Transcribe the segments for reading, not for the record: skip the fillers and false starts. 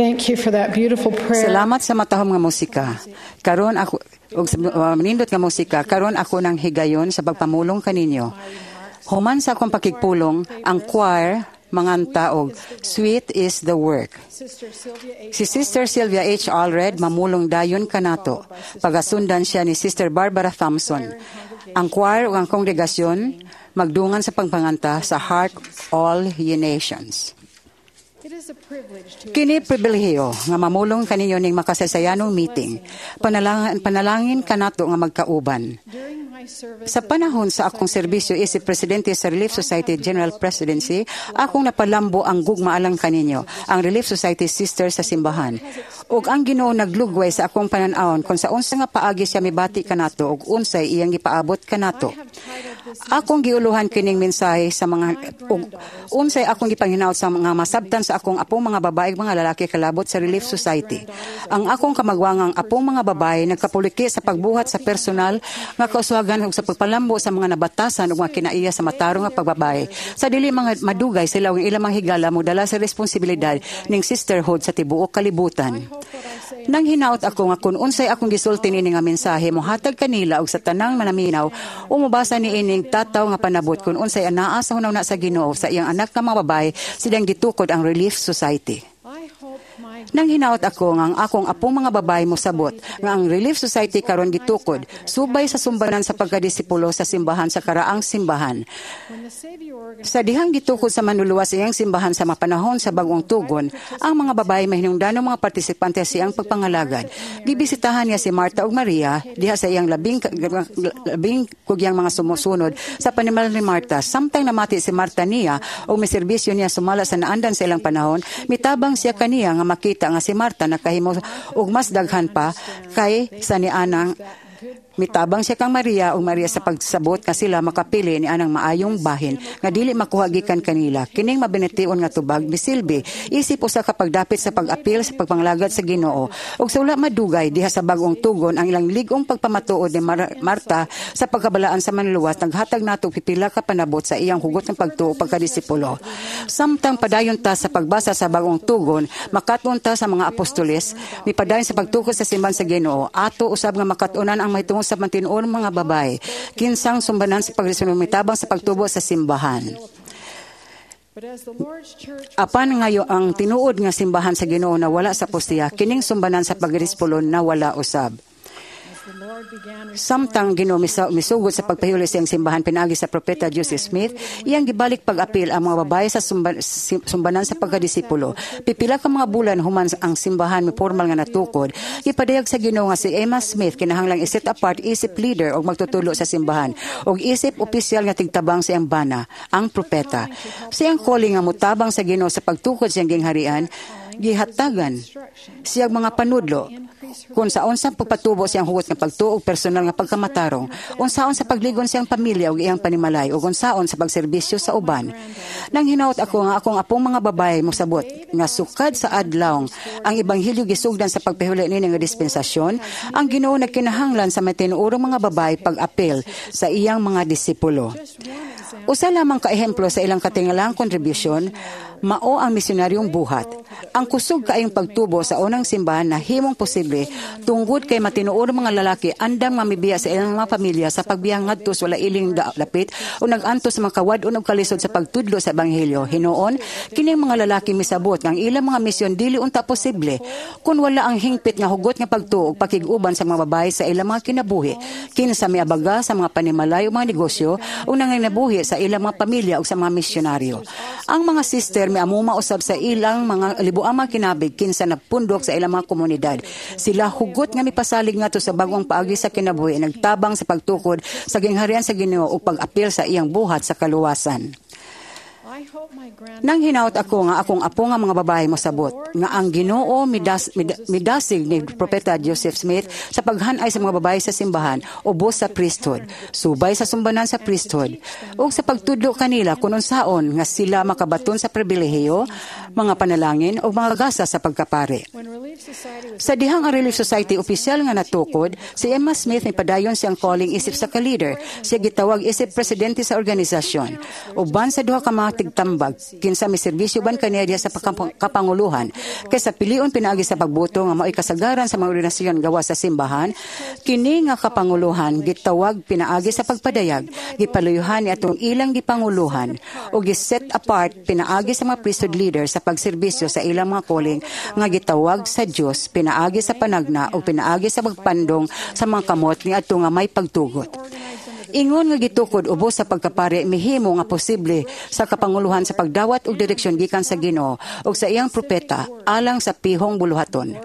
Thank you for that beautiful prayer. Salamat sa matahom nga musika. Karon ako og manindot nga musika, karon ako nang higayon sa pagpamulong kaninyo. Human sa akong pakigpulong, ang choir manganta og "Sweet is the Work." Sister Sylvia H. Si Sister Sylvia H. Allred mamulong dayon kanato. Pagasundan siya ni Sister Barbara Thompson. Ang choir ug ang kongregasyon magdungan sa pagpanganta sa "Hark All Ye Nations." It is a privilege to Kini pribilehiyo nga mamulong kaninyo ning makasaysayanong meeting. Panalangin kanato nga magkauban. During my service Sa panahon sa akong serbisyo isip presidente sa Relief Society General Presidency, akong napalambo ang gugma alang kaninyo, ang Relief Society Sisters sa simbahan. Ug ang Ginoo naglugway sa akong panan-awon kung sa unsa nga paagi siya mibati kanato ug unsay iyang gipaabot kanato. Have titled this Akong giuluhan kining mensahe sa mga ug unsay akong gipanghinaot sa mga masabtan sa akong apong mga babae ug mga lalaki kalabot sa Relief Society. Ang akong kamagwangang apong mga babae nagkapuliki sa pagbuhat sa personal nga kauswagan ug sa pagpalambo sa mga nabatasan ug mga kinaiya sa matarong nga pagbabae. Sa dili mga madugay, sila ug ilang mga higala modala sa responsibilidad ning sisterhood sa tibuok kalibutan. Nang hinaot ako nga kung unsay akong gisulti niini nga mensahe mohatag kanila ug sa tanang manaminaw o mobasa niining tataw nga panabot kung unsay anaa sa hunahuna sa Ginoo sa iyang anak nga mga babae silang gitukod ang Relief Society. I hope my Nang hinaot ako nga ang akong apong mga babae mosabot nga ang Relief Society karon gitukod subay sa sumbanan sa pagkadisipulo sa simbahan sa karaang simbahan. When the Savior organized Sa dihang gitukod sa Manluluwas iyang simbahan sa mga panahon sa bagong tugon, ang mga babae mahinungdanong mga partisipante sa iyang pagpangalagad. Gibisitahan niya si Marta ug Maria diha sa iyang labing kugyang mga sumusunod sa panimalay ni Marta. Samtang namati si Marta niya o miserbisyo niya sumala sa naandan sa ilang panahon, mitabang siya kaniya nga makita nga si Marta nakahimo og mas daghan pa kay sa nianang. Mitabang siya kang Maria ug Maria sa pagsabot nga sila makapili ni anang maayong bahin nga dili makuha gikan kanila. Kining mabination nga tubag misilbi isip usa ka pagdapit sa pag-apil sa pagpanglagad sa Ginoo. Ug sa wala madugay diha sa bagong tugon, ang ilang lig-ong pagpamatuod ni Marta sa pagkabalaan sa Manluluwas naghatag nato pipila ka panabot sa iyang hugot ng pagtuo pagkadisipulo. Samtang padayon ta sa pagbasa sa bagong tugon, makat-on ta sa mga apostoles mipadayon sa pagtukod sa simbahan sa Ginoo. Ato usab nga makat-onan ang mahitungod sa matinuod mga babae kinsang sumbanan sa pagresulong mitabang sa pagtubo sa simbahan. But as the Lord's church Apan ngayo ang tinuod nga simbahan sa Ginoo na wala sa apostiya, kining sumbanan sa pagdisipulo na wala usab. As the Lord began Samtang Ginoo misugod sa pagpahuli sa iyang simbahan pinaagi sa propeta Joseph Smith, iyang gibalik pag-apil ang mga babae sa sumbanan sa pagkadisipulo. Pipila ka mga bulan human ang simbahan mi formal nga natukod, gipadayag sa Ginoo nga si Emma Smith kinahanglang i-set apart isip leader og magtutudlo sa simbahan og isip opisyal nga tigtabang sa iyang bana, ang propeta. Sa iyang calling nga motabang sa Ginoo sa pagtukod sa iyang gingharian, gihatagan siyang mga panudlo kung sa unsang pagpatubo siyang hugot nga pagtuo ug personal nga pagkamatarong, unsaon sa pagligon siyang pamilya ug iyang panimalay, ug unsaon sa pagserbisyo sa uban. Nang hinaot ako nga akong apong mga babae mosabot nga sukad sa adlaw ang ebanghelyo gisugdan sa pagpahuli niini nga dispensasyon, ang Ginoo nagkinahanglan sa matinuorong mga babae pag-apil sa iyang mga disipulo. Usa lamang ka ehemplo sa ilang katingalang kontribusyon, mao ang misyonaryong buhat. Ang kusog kaayong pagtubo sa unang simbahan na himong posible tungod kay matinuod mga lalaki andam nga mibiya sa ilang mga pamilya sa pagbiya ngadto sa wala iling dapit o nag-antos sa mga kawad-on og kalisod sa pagtudlo sa ebanghelyo. Hinuon, kining mga lalaki misabot nga ang ilang mga misyon dili unta posible kung wala ang hingpit nga hugot nga pagtuo ug pakig-uban sa mga babae sa ilang mga kinabuhi, kinsa miabaga sa mga panimalay o mga negosyo o nanginabuhi sa ilang mga pamilya o sa mga misyonaryo. Ang mga sister miamuma usab sa ilang mga libuang mga kinabig kinsa napundok sa ilang mga komunidad. Sila hugot nga mipasalig ngadto sa bagong paagi sa kinabuhi, nagtabang sa pagtukod sa gingharian sa Ginoo ug pag-apil sa iyang buhat sa kaluwasan. I hope my grand Nang hinaot ako nga akong apo nga mga babae mosabot nga ang Ginoo midasig ni propeta Joseph Smith sa paghanay sa mga babae sa simbahan ubos sa priesthood, subay sa sumbanan sa priesthood, ug sa pagtudlo kanila kun unsaon nga sila makabaton sa pribilehiyo, mga panalangin ug mga gasa sa pagkapari. When Relief Sa dihang ang Relief Society opisyal nga natukod, si Emma Smith nipadayon siyang calling isip sa ka-leader. Siya gitawag isip presidente sa organisasyon. Uban sa duha ka mga tigtambag, kinsa may serbisyo ban kaniya diha sa kapanguluhan. Kay sa pilion pinaagi sa pagboto nga mao'y kasagaran sa mga organisasyon gawas sa simbahan, kini nga kapanguluhan gitawag pinaagi sa pagpadayag, gipaluyuhan ni atong ilang gipanguluhan o gi-set apart pinaagi sa mga priesthood leader sa pagserbisyo sa ilang mga calling nga gitawag sa Dios pinaagi sa panagna o pinaagi sa pagpandong sa mga kamot ni adto nga may pagtugot. Ingon nga gitukod ubos sa pagkapari, mihimo nga posible sa kapanguluhan sa pagdawat og direksyon gikan sa Ginoo ug sa iyang propeta alang sa pihong buluhaton.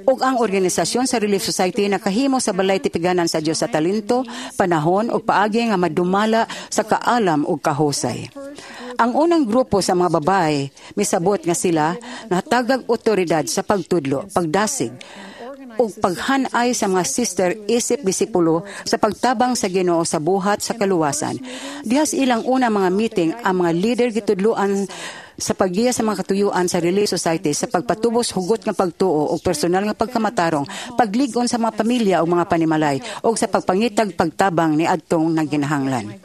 Ug ang organisasyon sa Relief Society nakahimo sa balay tipiganan sa Dios sa talento, panahon ug paagi nga madumala sa kaalam ug kahusay. Ang unang grupo sa mga babae misabot nga sila nahatagag otoridad sa pagtudlo, pagdasig, ug paghanay sa mga sister isip disipulo sa pagtabang sa Ginoo sa buhat sa kaluwasan. Diha sa ilang una mga meeting, ang mga leader gitudloan sa paggiya sa mga katuyuan sa Relief Society sa pagpatubos hugot nga pagtuo o personal nga pagkamatarong, paglig-on sa mga pamilya o mga panimalay o sa pagpangitag pagtabang ni adtong nagginahanglan.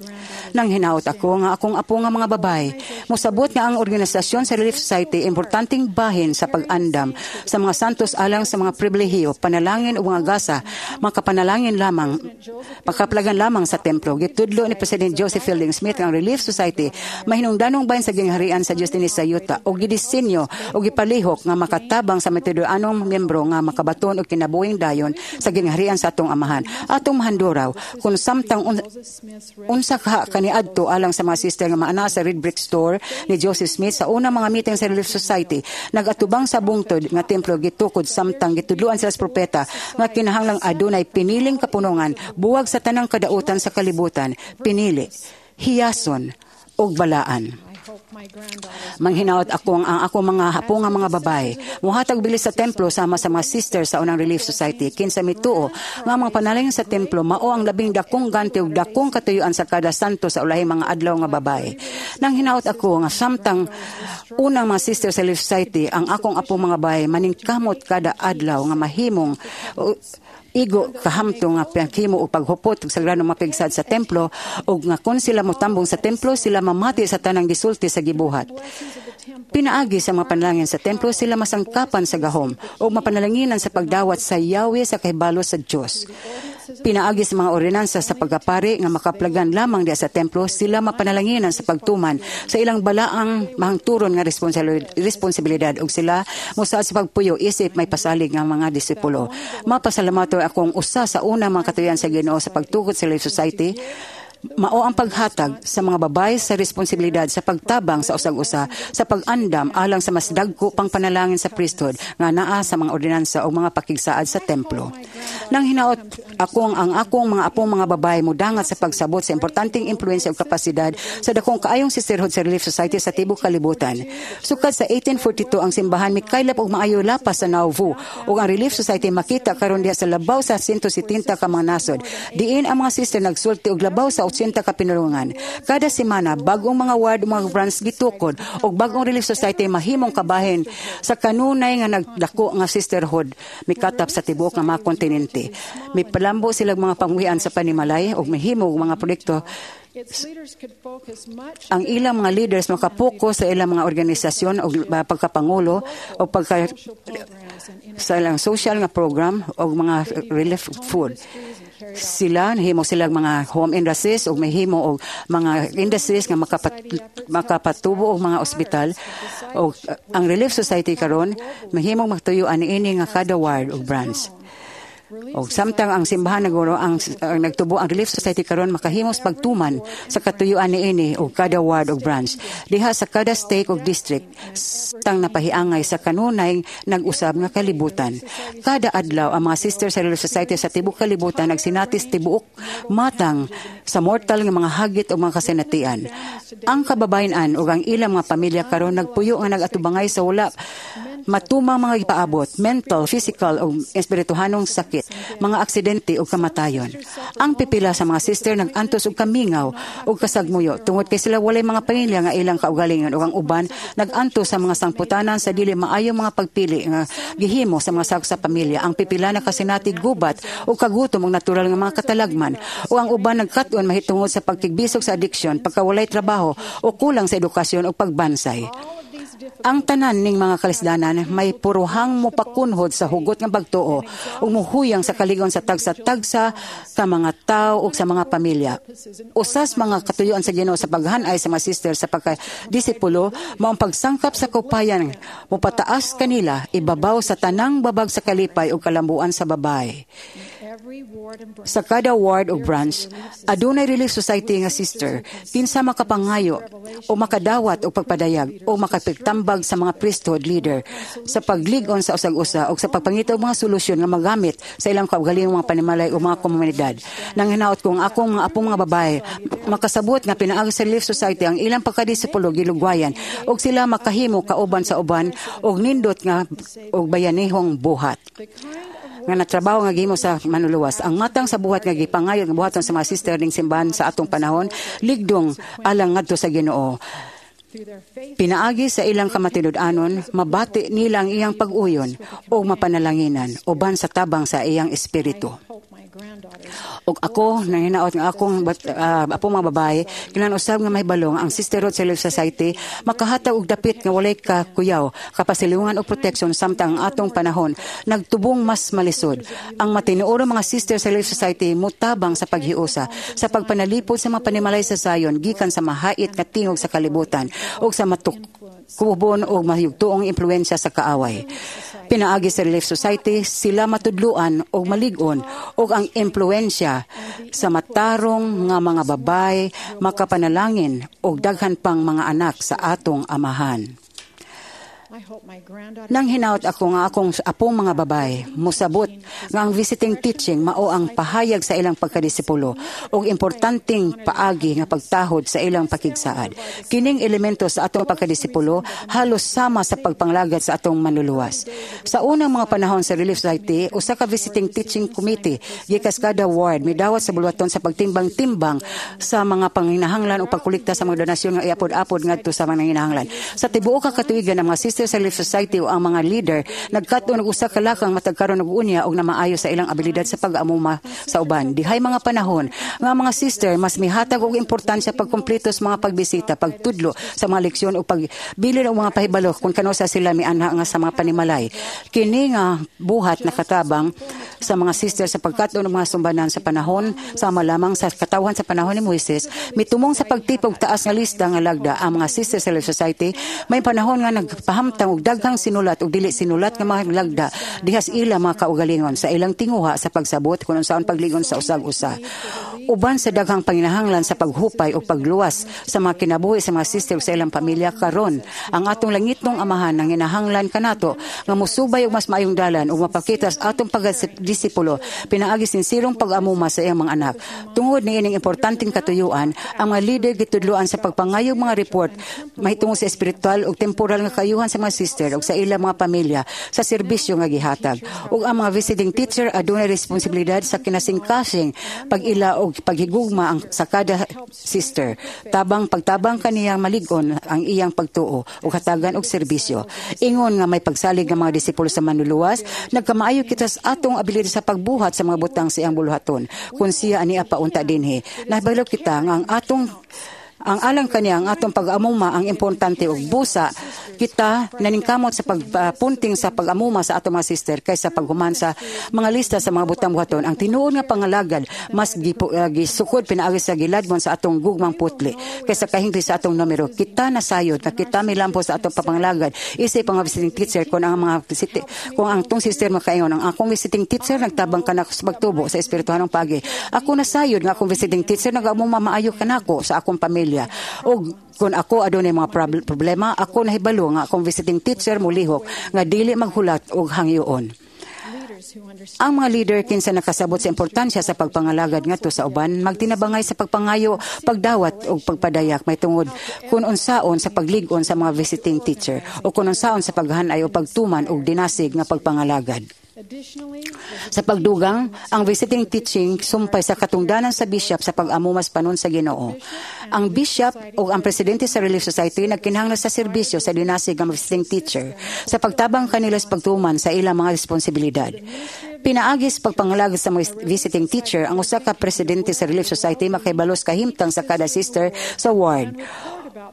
Nang hinaot ako nga akong apo nga mga babae, mosabot nga ang organisasyon sa Relief Society importanteng bahin sa pag-andam sa mga santos alang sa mga pribilehiyo, panalangin o mga gasa, makapanalangin lamang, makaplagan lamang sa templo. Gitudlo ni President Joseph Fielding Smith ang Relief Society mahinungdanong bahin sa gingharian sa Dios dinhi sa yuta o gidisenyo o gipalihok nga makatabang sa matuod-anong miyembro nga makabaton og kinabuhing dayon sa gingharian sa atong Amahan. Atong mahanduraw kung samtang unsa ka kaniadto alang sa mga sister nga maana sa Red Brick Store ni Joseph Smith sa unang mga meeting sa Relief Society, nagatubang sa bungtod nga templo gitukod samtang gitudloan sila sa propeta nga kinahanglang adunay piniling kapunungan buwag sa tanang kadautan sa kalibutan, pinili, hiyason ug balaan. Manghinaot ako ang ako mga hapo nga mga babae muhatag bilis sa templo sama sa mga sisters sa unang Relief Society, kinsa mituo nga mga panalangin sa templo mao ang labing dakong ganti ug dakong katuyuan sa kada santo sa ulahing mga adlaw nga babae. Nang hinaot ako nga samtang unang mga sisters sa Relief Society, ang akong apo mga babae maningkamot kada adlaw nga mahimong igo kahamtong nga paghimo og paghupot og sagrado mapigsad sa templo ug nga kon sila motambong sa templo, sila mamati sa tanang gisulti sa gibuhat. Pinaagi sa mga panalangin sa templo, sila masangkapan sa gahom o mapanalanginan sa pagdawat sa Yahweh sa kahibalo sa Dios. Pinaagi sa mga ordinansa sa pagkapari nga makaplagan lamang diya sa templo, sila mapanalanginan sa pagtuman sa ilang balaang mahangturon nga responsibilidad ug sila mosaad sa pagpuyo isip may pasalig nga mga disipulo. Mapasalamato akong usa sa una mga katuyan sa Ginoo sa pagtukod sa Relief Society mao ang paghatag sa mga babae sa responsibilidad sa pagtabang sa usag-usa sa pag-andam alang sa mas dagko pang panalangin sa priesthood nga naa sa mga ordinansa o mga pakigsaad sa templo. Nang hinaot akong ang akong mga apong mga babae mudangat sa pagsabot sa importanteng impluwensya ug kapasidad sa dakong kaayong sisterhood sa Relief Society sa tibuok kalibutan. Sukad sa 1842, ang simbahan mikaylap og maayo lapas sa Nauvoo ug ang Relief Society makita karon diha sa labaw sa 170 ka mga nasod. Diin ang mga sister nagsulti og labaw sa 80 ka pinulungan. Kada semana, bagong mga ward ug mga branch gitukod ug bagong Relief Society mahimong kabahin sa kanunay nga nagdako nga sisterhood mikatap sa tibuok nga mga kontinente. Mipalambo sila mga pamuhian sa panimalay ug mahimo og mga proyekto. Ang ilang mga leaders makapokus sa ilang mga organisasyon o pagkapangulo o pagka sa ilang social nga program o mga relief food. Sila nahimo sila mga home industries o mahimo og mga industries nga makapatubo og mga ospital, o ang Relief Society karon mahimong magtuyuan niini nga kada ward o branch. O samtang ang simbahan naguro ang nagtubo, ang Relief Society karon makahimos pagtuman sa katuyuan niini og kada ward o branch diha sa kada stake o district tang napahiangay sa kanunay nag-usab nga kalibutan. Kada adlaw, ang mga sisters sa Relief Society sa tibuok kalibutan nagsinatis tibuok matang sa mortal nga mga hagit o mga kasinatian. Ang kababayen-an ug ang ilang mga pamilya karon nagpuyo nga nagatubangay sa wala Matumang mga gipaabot, mental, physical ug espirituhanong sakit, mga aksidente ug kamatayon. Ang pipila sa mga sister nag-antos og kamingaw ug kasagmuyo tungod kay sila walay mga pamilya nga ilang kaugalingon, ug ang uban nag-antos sa mga sangputanan sa dili maayong mga pagpili nga gihimo sa mga sakop sa pamilya. Ang pipila nakasinati gubat ug kagutom ug natural nga mga katalagman, ug ang uban nagkat-on mahitungod sa pagkigbisog sa addiction, pagkawalay trabaho o kulang sa edukasyon ug pagbansay. Ang tanan ning mga kalisdanan may puruhang mopakunhod sa hugot nga pagtuo ug muhuyang sa kaligon sa tagsa-tagsa ka mga tawo ug sa mga pamilya. Usas mga katuyuan sa Ginoo sa paghanay sa mga sister sa pagkadisipulo mao ang pagsangkap sa kupayan mopataas kanila ibabaw sa tanang babag sa kalipay ug kalambuan sa babae. Sa kada ward o branch, adunay Relief Society nga sister kinsa makapangayo o makadawat og pagpadayag o makapigtambag sa mga priesthood leader sa paglig-on sa usag-usa o sa pagpangita og mga solusyon nga magamit sa ilang kaugalingong mga panimalay o mga komunidad. Nang hinaot ko ang akong mga apong mga babae makasabot nga pinaagi sa Relief Society ang ilang pagkadisipulo gilugwayan og sila makahimo kauban sa uban og nindot nga og bayanihong buhat nga natrabaho nga gihimo sa manluluwas. Ang matang sa buhat nga gipangayo nga buhaton sa mga sister ning simbahan sa atong panahon ligdong alang ngadto sa Ginoo. Pinaagi sa ilang kamatinud-anon, mabati nila ang iyang pag-uyon o mapanalanginan uban sa tabang sa iyang espiritu. Ug ako, nanginaot nga akong apo mga babae, kinahanglan usab nga mahibalo nga ang Sisterhood sa Relief Society makahatag og dapit nga walay kakuyaw, kapasilungan og protection samtang ang atong panahon nagtubong mas malisod. Ang matinuorong mga sister sa Relief Society mutabang sa paghiusa, sa pagpanalipod sa mga panimalay sa sayon gikan sa mahait nga tingog sa kalibutan ug sa matukubon o mahigtuong impluensya sa kaaway. Pinaagi sa Relief Society, sila matudluan og malig-on og ang impluensya sa matarong nga mga babae makapanalangin og daghan pang mga anak sa atong amahan. Nang hinaot ako nga akong apong mga babae, musabot nga ang visiting teaching mao ang pahayag sa ilang pagkadisipulo ug importanteng paagi nga pagtahod sa ilang pakigsaad. Kining elemento sa atong pagkadisipulo halos sama sa pagpanglagad sa atong manluluwas. Sa unang mga panahon sa Relief Society, usa ka visiting teaching committee gikas kada ward midawat sa buluhaton sa pagtimbang-timbang sa mga panginahanglan o pagkolekta sa mga donasyon nga iapod-apod ngadto sa mga nanginahanglan. Sa tibuok ka katuigan, ang mga sister sa Relief Society o ang mga leader nagkat-on og usa ka lakang matag karon ug unya og namaayo sa ilang abilidad sa pag-amuma sa uban. Dihay mga panahon nga ang mga sister mas mihatag og importansya pagkumpleto sa mga pagbisita, pagtudlo sa mga leksyon o pagbilin og mga pahibalo kung kanus-a sila mianha nga sa mga panimalay. Kini nga buhat nakatabang sa mga sister sa pagkat-on og mga sumbanan sa panahon sama lamang sa katawhan sa panahon ni Moises mitumong sa pagtipog taas nga lista nga lagda. Ang mga sisters sa Relief Society may panahon nga nagpahamtang og daghang sinulat ug dili sinulat nga mga lagda diha sa ila mga kaugalingon sa ilang tinguha sa pagsabot kung unsaon pagligon sa usag-usa. Uban sa daghang panginahanglan sa paghupay o pagluwas sa mga kinabuhi sa mga sister sa ilang pamilya karon, ang atong langitnong amahan nang hinahanglan kanato nga mosubay og mas maayong dalan ug mapakita sa atong pagdisipulo pinaagi sinsirong pag-amuma sa iyang mga anak. Tungod niining importanteng katuyuan, ang mga leader gitudloan sa pagpangayo mga report mahitungod sa espiritual ug temporal nga kayuhan sa mga sister ug sa ilang mga pamilya sa serbisyo nga gihatag. Ug ang mga visiting teacher adunay responsibilidad sa kinasingkasing pag-ila og paghigugma ang sa kada sister. Tabang pagtabang kaniya malig-on ang iyang pagtuo ug hatagan og serbisyo. Ingon nga may pagsalig nga mga disipulo sa manluluwas, nagkamaayo kita sa atong abilidad sa pagbuhat sa mga butang sa iyang buluhaton. Kung siya ania paunta dinhi, nahibalo kita nga ang atong ang alang kaniya, ang atong pag-amuma ang importante ug busa kita naningkamot sa pagpunting sa pag-amuma sa atong mga sister kaysa paghuman sa mga lista sa mga butang buhaton. Ang tinuod nga pangalagad mas gisukod pinaagi sa giladmon sa atong gugmang putli kaysa kahingpi sa atong numero. Kita nasayod nga kita milampo sa atong papangalagad isip ang mga visiting teacher kung ang tong sister makaingon, "Ang akong visiting teacher nagtabang kanako sa pagtubo sa espirituhanong pagi. Ako nasayod nga akong visiting teacher nag-amuma maayo kanako sa akong pamilya. Og kung ako adunay mga problema, ako nahibalo nga akong visiting teacher molihok nga dili maghulat og hangyoon." Ang mga leader kinsa nakasabot sa importansya sa pagpangalagad ngadto sa uban magtinabangay sa pagpangayo, pagdawat ug pagpadayak mahitungod kung unsaon sa paglig-on sa mga visiting teacher o kung unsaon sa paghanay o pagtuman og dinasig nga pagpangalagad. Sa pagdugang, ang visiting teaching sumpay sa katungdanan sa bishop sa pag-amumas panon sa Ginoo. Ang bishop o ang presidente sa Relief Society nagkinahanglan sa serbisyo sa dinasig nga visiting teacher sa pagtabang kanila sa pagtuman sa ilang mga responsibilidad. Pinaagi sa pagpangalagad sa mga visiting teacher, ang usa ka presidente sa Relief Society makahibalo sa kahimtang sa kada sister sa ward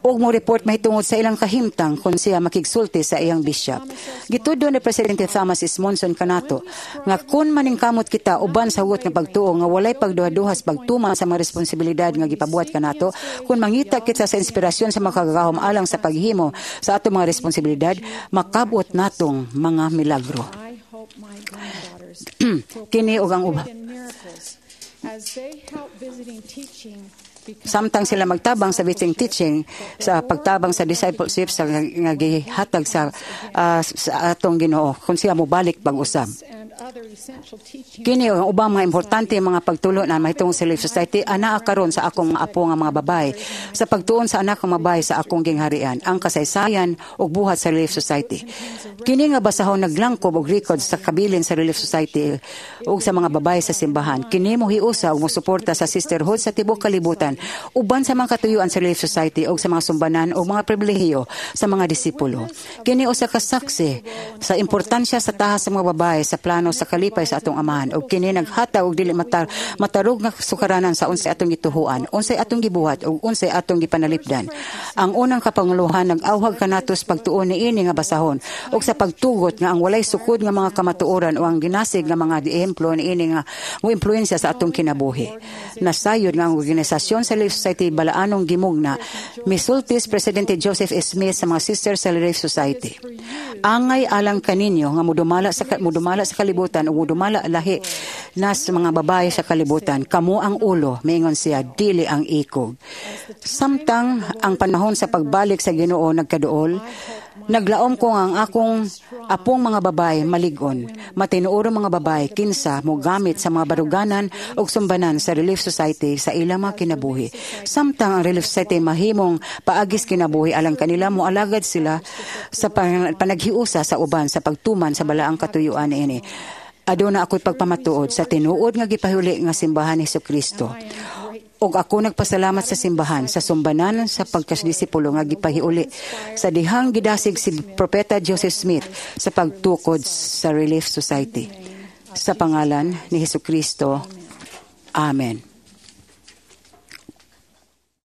ug mo report mahitungod sa ilang kahimtang kung siya makigsulti sa iyang bishop. Gitudlo ni Presidente Thomas S. Monson kanato nga kung maningkamot kita uban sa hugot nga pagtuo nga walay pagduha-duha sa pagtuman sa mga responsibilidad nga gipabuhat kanato, kung mangita kita sa inspirasyon sa Makagagahom alang sa paghimo sa atong mga responsibilidad, makabot natong mga milagro. I hope my granddaughters Kini ug ang uba in miracles as they help visiting teaching become Samtang sila magtabang sa visiting teaching, sa pagtabang sa discipleship sa nga gihatag sa atong Ginoo kung siya mobalik pag-usab. and other essential teaching Kini ang ubang mga importante mga pagtulon mahitungod sa Relief Society anaa karon sa akong mga apo nga mga babae sa pagtuon sa anak nga babae sa akong gingharian, ang kasaysayan ug buhat sa Relief Society. Kini nga basahon naglangkob og records sa kabilin sa Relief Society ug sa mga babae sa simbahan. Kini mohiusa ug mosuporta sa sisterhood sa tibuok kalibutan uban sa mga katuyuan sa Relief Society ug sa mga sumbanan o mga pribilehiyo sa mga disipulo. Kini usa ka saksi sa importansya sa tahas sa mga babae sa plano sa kalipay sa atong Amahan ug kini naghatag og dili matarog nga sukaranan sa unsay atong gituhuan, unsay atong gibuhat ug unsay atong gipanalipdan. Ang unang kapanguluhan nag-awhag kanato sa pagtuon niini nga basahon ug sa pagtugot nga ang walay sukod nga mga kamatuoran o ang ginasig nga mga ehemplo niini nga mo impluwensya sa atong kinabuhi. Nasayod nga ang organisasyon sa Relief Society balaanong gimugna. Misulti si Presidente Joseph S. Smith sa mga sisters sa Relief Society: "Angay alang kaninyo nga mudumala sa kalibutan ug mudumala lahi na sa mga babae sa kalibutan. Kamo ang ulo," miingon siya, "dili ang ikog." Samtang ang panahon sa pagbalik sa Ginoo nagkaduol, naglaom ko nga ang akong apong mga babae malig-on, matinuorong mga babae kinsa mogamit sa mga baruganan ug sumbanan sa Relief Society sa ilang mga kinabuhi. Samtang ang Relief Society mahimong paagis kinabuhi alang kanila, moalagad sila sa panaghiusa sa uban sa pagtuman sa balaang katuyuan niini. Aduna ako'y pagpamatuod sa tinuod nga gipahuli nga simbahan ni Kristo. Og ako nagpasalamat sa simbahan sa sumbanan sa pagkadisipulo nga gipahiuli sa dihang gidasig si Propeta Joseph Smith sa pagtukod sa Relief Society. Sa pangalan ni Hesus Kristo. Amen.